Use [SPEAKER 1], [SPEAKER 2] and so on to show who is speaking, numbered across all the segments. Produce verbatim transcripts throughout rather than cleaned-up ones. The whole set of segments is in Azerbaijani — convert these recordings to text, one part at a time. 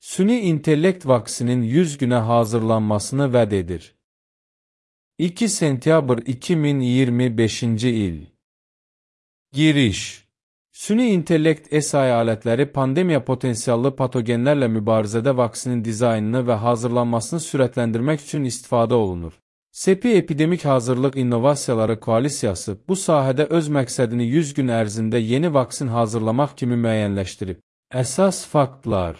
[SPEAKER 1] Süni intellekt vaksinin yüz günə hazırlanmasını vəd edir. iki sentyabr iki min iyirmi beşinci il. Giriş. Süni intellekt S I alətləri pandemiya potensiallı patogenlərlə mübarizədə vaksinin dizaynını və hazırlanmasını sürətləndirmək üçün istifadə olunur. SEPI Epidemik Hazırlıq İnnovasiyaları Koalisiyası bu sahədə öz məqsədini yüz gün ərzində yeni vaksin hazırlamaq kimi müəyyənləşdirib. Əsas faktlar: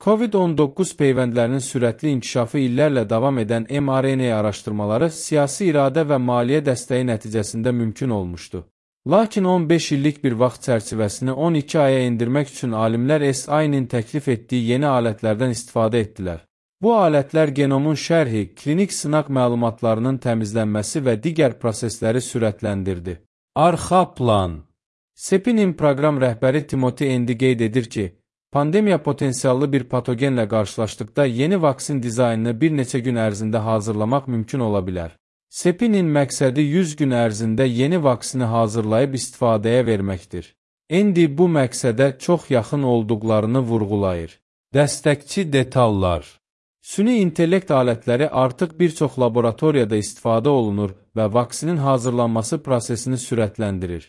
[SPEAKER 1] COVID on doqquz peyvəndlərinin sürətli inkişafı illərlə davam edən M R N A araşdırmaları siyasi iradə və maliyyə dəstəyi nəticəsində mümkün olmuşdu. Lakin on beş illik bir vaxt çərçivəsini on iki aya endirmək üçün alimlər S I-nin təklif etdiyi yeni alətlərdən istifadə etdilər. Bu alətlər genomun şərhi, klinik sınaq məlumatlarının təmizlənməsi və digər prosesləri sürətləndirdi. Arxa plan. SEPI-nin proqram rəhbəri Timothy Endi qeyd edir ki, pandemiya potensiallı bir patogenlə qarşılaşdıqda yeni vaksin dizaynını bir neçə gün ərzində hazırlamaq mümkün ola bilər. SEPI-nin məqsədi yüz gün ərzində yeni vaksini hazırlayıb istifadəyə verməkdir. Endi bu məqsədə çox yaxın olduqlarını vurğulayır. Dəstəkçi detallar. Süni intellekt alətləri artıq bir çox laboratoriyada istifadə olunur və vaksinin hazırlanması prosesini sürətləndirir.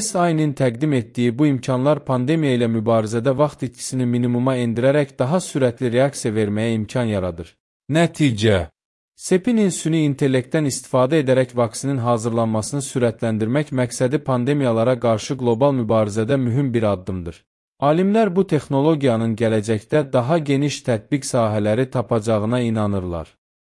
[SPEAKER 1] S I-nin təqdim etdiyi bu imkanlar pandemiya ilə mübarizədə vaxt itkisini minimuma endirərək daha sürətli reaksiya verməyə imkan yaradır. Nəticə: SEPI-nin süni intellektdən istifadə edərək vaksinin hazırlanmasını sürətləndirmək məqsədi pandemiyalara qarşı qlobal mübarizədə mühüm bir addımdır. Alimlər bu texnologiyanın gələcəkdə daha geniş tətbiq sahələri tapacağına inanırlar.